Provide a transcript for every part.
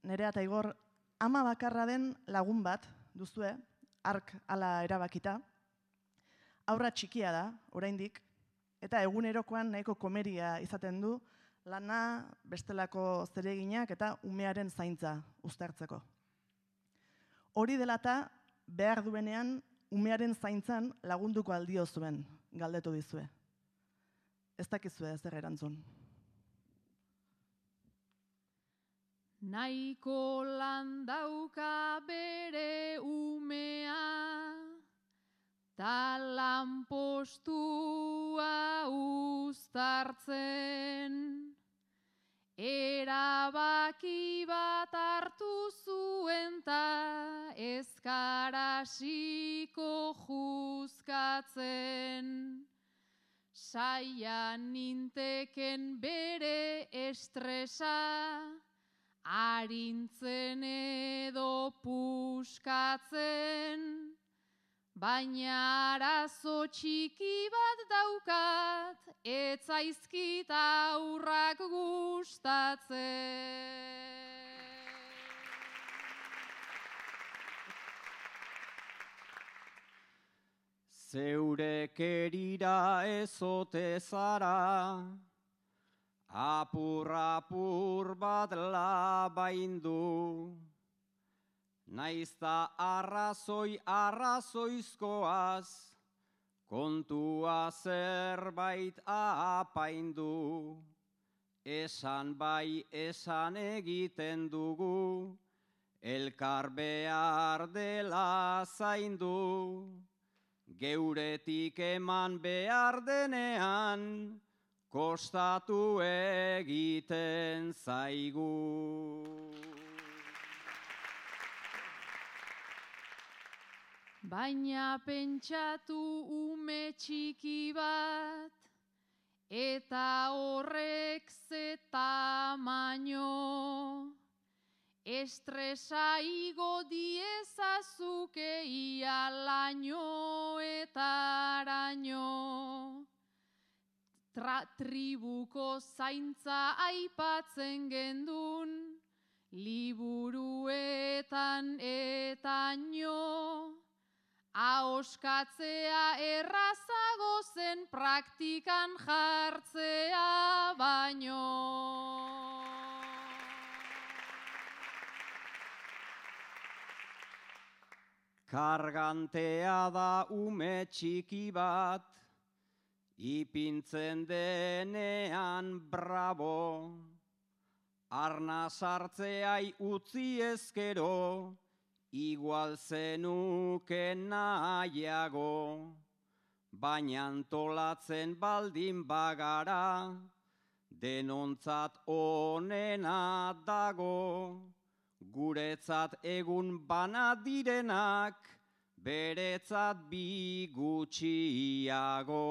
Nerea eta Igor, ama bakarra den lagun bat duzue, hark hala erabakita. Haurra txikia da, oraindik, eta egunerokoan nahiko komeria izaten du, lana, bestelako zereginak eta umearen zaintza uztartzeko. Hori dela eta behar duenean umearen zaintzan lagunduko aldio zuen, galdetu dizue. Ez dakizue ez erantzun. Nahiko lan dauka bere umea, ta lanpostua uztartzen. Erabaki bat hartu zuen ta ezkarasiko juzkatzen. Saia ninteken bere estresa, arintzen edo puskatzen. Baina arazo txiki bat daukat, ez zaizkit aurrak gustatzen. Zeure kerira ezote zara, apur bat labaindu. Naizta arrazoizkoaz, kontua zerbait apaindu. Esan bai esan egiten dugu, elkar behar dela zaindu. Geuretik eman behar denean, kostatu egiten zaigu. Baina pentsatu ume txiki bat, eta horrek ze tamaino. Estresa igo diezazuke ia laino eta araño. Tribuko zaintza aipatzen gendun, liburuetan eta nio. Ahoskatzea errazago zen praktikan jartzea baino. Kargantea da ume txiki bat, ipintzen denean bravo. Arna sartzeai utzi ezkero, igual zenuke nahiago. Baina antolatzen baldin bagara, denontzat onena dago. Guretzat egun bana direnak, beretzat bi gutxiago.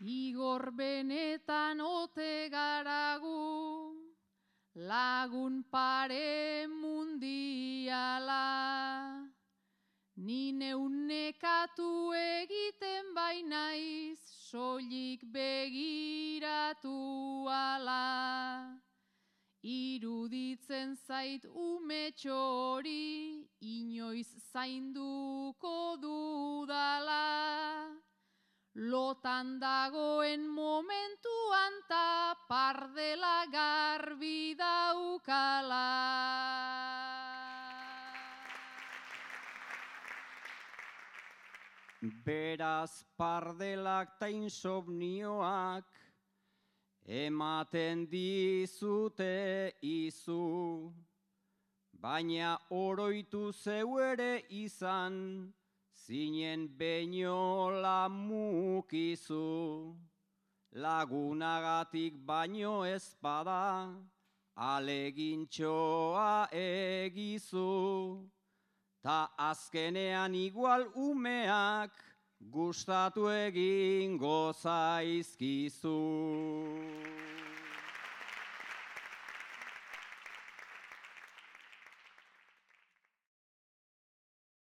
Igor benetan ote garagu, lagun pare mundiala. Ni neunekatu egiten bainaiz, soilik begiratu ala. Iruditzen zait umetxo hori, inoiz zainduko dudala. Lotan dagoen momentuan ta pardela garbi daukala. Beraz pardelak ta insomnioak ematen dizute izu, baina oroitu zeu ere izan, zinen beinola mukizu. Lagunagatik baino ezpada, alegintxoa egizu. Ta azkenean igual umeak gustatu egingo zaizkizu.